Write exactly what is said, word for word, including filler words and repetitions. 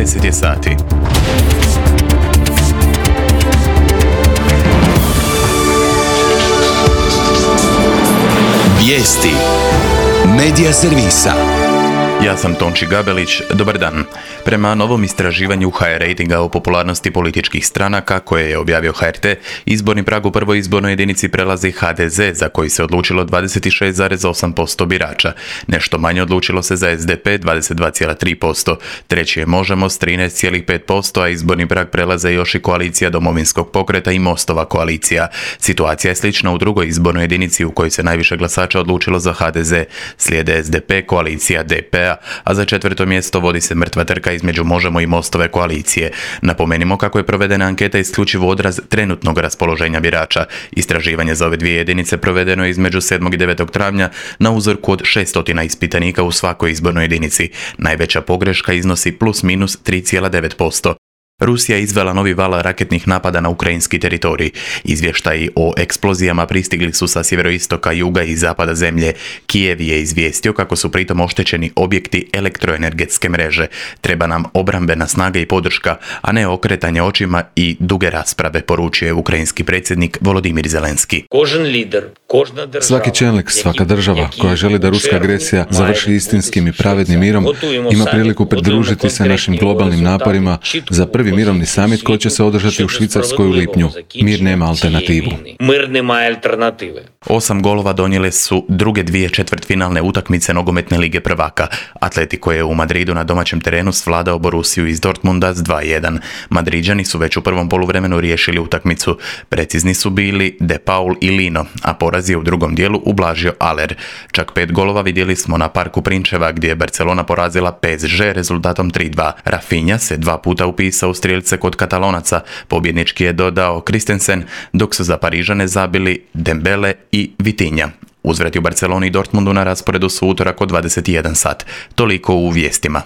deset je sati. Vijesti Medija servisa. Ja sam Tonči Gabelić, dobar dan. Prema novom istraživanju H R rejtinga o popularnosti političkih stranaka koje je objavio H R T, izborni prag u prvoj izbornoj jedinici prelazi H D Z, za koji se odlučilo dvadeset šest zarez osam posto birača. Nešto manje odlučilo se za S D P dvadeset dva zarez tri posto. Treći je Možemo s trinaest zarez pet posto, a izborni prag prelaze još i koalicija Domovinskog pokreta i Mostova koalicija. Situacija je slična u drugoj izbornoj jedinici u kojoj se najviše glasača odlučilo za H D Z. Slijede S D P, koalicija D P-a, a za četvrto mjesto vodi se mrtva trka između Možemo i Mostove koalicije. Napomenimo kako je provedena anketa isključivo odraz trenutnog raspoloženja birača. Istraživanje za ove dvije jedinice provedeno je između sedmog i devetog travnja na uzorku od šesto ispitanika u svakoj izbornoj jedinici. Najveća pogreška iznosi plus minus tri zarez devet posto. Rusija je izvela novi val raketnih napada na ukrajinski teritorij. Izvještaji o eksplozijama pristigli su sa sjeveroistoka, juga i zapada zemlje. Kijev je izvijestio kako su pritom oštećeni objekti elektroenergetske mreže. Treba nam obrambena snaga i podrška, a ne okretanje očima i duge rasprave, poručio je ukrajinski predsjednik Volodimir Zelenski. Svaki čelnik, svaka država koja želi da ruska agresija završi istinskim i pravednim mirom ima priliku pridružiti se našim globalnim naporima za prvi mirovni samit koji će se održati u Švicarskoj u lipnju. Mir nema alternativu. Osam golova donijele su druge dvije četvrtfinalne utakmice nogometne lige prvaka. Atletico je u Madridu na domaćem terenu svladao Borussiju iz Dortmunda s dva jedan. Madriđani su već u prvom poluvremenu riješili utakmicu. Precizni su bili De Paul i Lino, a poraz je u drugom dijelu ublažio Aller. Čak pet golova vidjeli smo na Parku Prinčeva gdje je Barcelona porazila P S G rezultatom tri dva. Rafinha se dva puta upisao u strijelce kod Katalonaca. Pobjednički je dodao Christensen, dok su za Parižane zabili Dembele i Vitinha. Uzvrati u Barceloni i Dortmundu na rasporedu su utorak od dvadeset jedan sat. Toliko u vijestima.